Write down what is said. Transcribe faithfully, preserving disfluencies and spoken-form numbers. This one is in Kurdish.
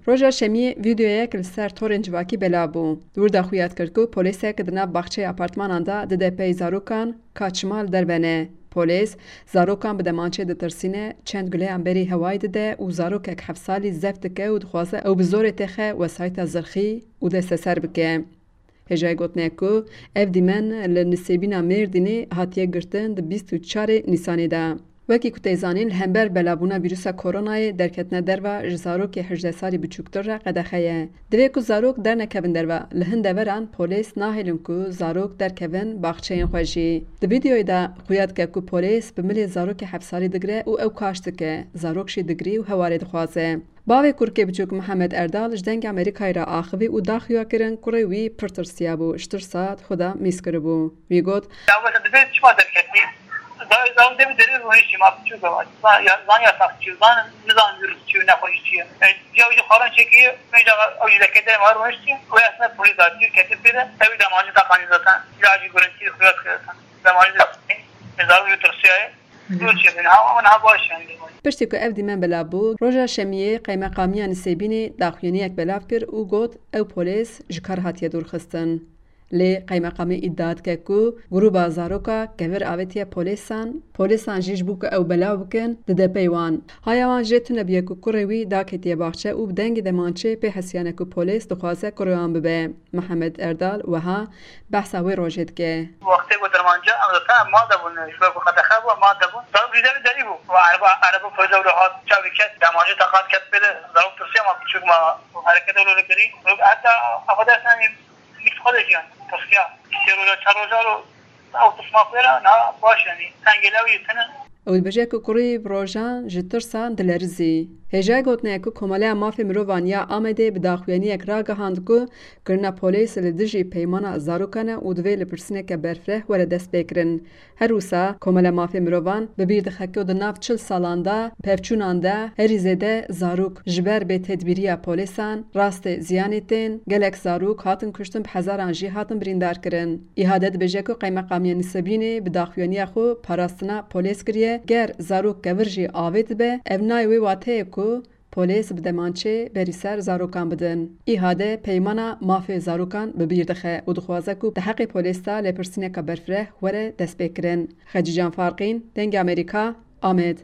Roja Şemiyê vîdeoyek li ser torên civakî belav bû. Di wir de xuya dikir ku polîsek di nav baxçeyê apartmanan de dide pey zarokan ka çima li derve ne. Polîs zarokan bi demançê ditirsîne, çend guleyan berî hewayê dide û zarokek heft salî zeft dike û dixwaze ew bi zorê têxe wesayîta zirxî û desteser bike. Hêjayî gotine ku ev dîmen li Nisêbîna Mêrdînê hatiye girtin di bîst û çarê Nîsanê de. Wekî ku tê zanîn, li hember belavbûna vîrusa koronayê derketina derva ji zarokê hejdeh salî biçûktir re qedexe ye. Divê ku zarok dernekevin derve. Li hin deveran polês nahêlin ku zarok derkevin baxçeyên xwe jî. Di vîdeoyê de xuya dike ku polês bi milê zarokê heft salî digire û ew kaş dike. Zarok jî digirî û hewarê dixwaze. Bavê kurkê biçûk Mihemed Erdal ji Dengê Amerîkayê re axivî û daxuya kirin kurê wî pir tirsiyabû, ji tirsa di xwe de mîz kiribû. Wî got, Dawet dibê çima derketî? Zan, zan dê bi derê rûniştî ma biçûk e. Zan, ya, zan yasax çi, zan nizan vîrus çi, nexweşî çi ye. E, ya wî xwaran çekî, mecla ew jî deke derê ma rûniştî. Wê esne polîs datî, ketî pê de, ew demancî taqanî zaten. Cilacî gurintî xuya dike zaten. Demancî de, e, zarok jî tirsiyaye. Dûr çêbin, ha, ha baş yani. Piştî ku ev dîmen belav bû, roja Şemiyê qeymeqamiya Nisêbînê daxuyaniyek belav kir û got, ew polês ji kar hatiye dûrxistin. Lê qeymeqamê îdia dike ku grûba zaroka kevir avêtiye polêsan, polêsan jî ji bo ku ew belav bikin, dide pey wan. Haya wan jê tune bûye ku kurê wî daketiye baxçe û bi dengê demançê pê hesiyane ku polês dixwaze kurê wan bibe. Mihemed Erdal wiha behsa wê rojê dike. Wextê ku dermanca em zaten mal de bûn, ji ber ku qedexe bû, mal de bûn. Zarok jî derî derî bû. Û ereba, ereba polîsa wilo hat, çavî ket, dermanca teqat ket pê de, zarok tirsiya ma biçûk ma hereket wilo kirî. Heta Xwedê sen nîv xwe de jiyan, tirsiya. Sê roja, çar roja ro, ew tirsma pê re, na baş yani. Tengê lew yê tine. Ew dibêje ku kurî bi rojan ji tirsan dilerizî. Hêjayî gotinê ye ku Komeleya Mafê Mirovan ya Amedê bi daxuyaniyek ragihand ku kirina polês li dijî peymana zarokan e û divê lêpirsîneke berfireh were destpêkirin. Her wisa Komeleya Mafê Mirovan bi bîr dixe ku di nav çil salan de pevçûnan de herî zêde zarok ji ber bêtedbîriya polêsan rastê ziyanê tên, gelek zarok hatin kuştin, bi hezaran jî hatin birîndar kirin. Îhade dibêje ku Qeymeqamiya Nisêbînê bi daxuyaniya xwe parastina polês kiriye, ger zarok kevir jî avêtibe, ev nayê wê wateyê ku polês bi demançê berî ser zarokan bidin. Îhade peymana mafê zarokan bi bîr dixe û dixwaze ku di heqê polês de lêpirsîneke berfireh were destpêkirin. Xecîcan Farqîn, Dengê Amerîka, Amed.